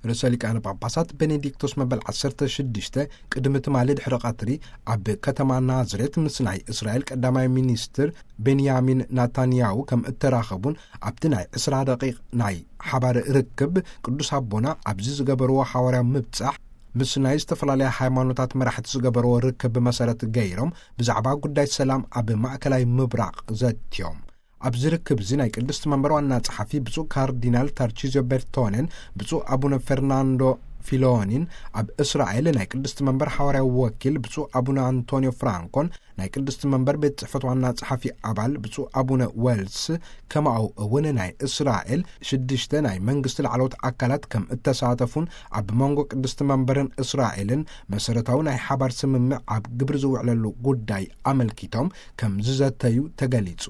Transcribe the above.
ርእሰ ሊቃነ ጳጳሳት ቤኔዲክቶስ መበል ዓሰርተ ሽዱሽተ ቅድሚ ትማሊ ድሕሪ ቀትሪ ኣብ ከተማ ናዝሬት ምስ ናይ እስራኤል ቀዳማይ ሚኒስትር ቤንያሚን ናታንያሁ ከም እተራኸቡን፣ ኣብቲ ናይ ዕስራ ደቂቕ ናይ ሓባር ርክብ ቅዱስ ኣቦና ኣብዚ ዝገበርዎ ሓዋርያዊ ምብጻሕ ምስ ናይ ዝተፈላለያ ሃይማኖታት መራሕቲ ዝገበርዎ ርክብ መሰረት ገይሮም ብዛዕባ ጉዳይ ሰላም ኣብ ማእከላይ ምብራቕ ዘትዮም። ኣብዚ ርክብ እዚ ናይ ቅድስቲ መንበር ዋና ጸሓፊ ብፁዕ ካርዲናል ታርቺዝዮ ቤርቶኔን ብፁዕ ኣቡነ ፈርናንዶ ፊሎኒን፣ ኣብ እስራኤል ናይ ቅድስቲ መንበር ሓዋርያዊ ወኪል ብፁዕ ኣቡነ ኣንቶኒዮ ፍራንኮን፣ ናይ ቅድስቲ መንበር ቤት ጽሕፈት ዋና ጸሓፊ ኣባል ብፁዕ ኣቡነ ዌልስ፣ ከማኡ እውን ናይ እስራኤል ሽዱሽተ ናይ መንግስቲ ላዕለዎት ኣካላት ከም እተሳተፉን፣ ኣብ መንጎ ቅድስቲ መንበርን እስራኤልን መሰረታዊ ናይ ሓባር ስምምዕ ኣብ ግብሪ ዝውዕለሉ ጉዳይ ኣመልኪቶም ከም ዝዘተዩ ተገሊጹ።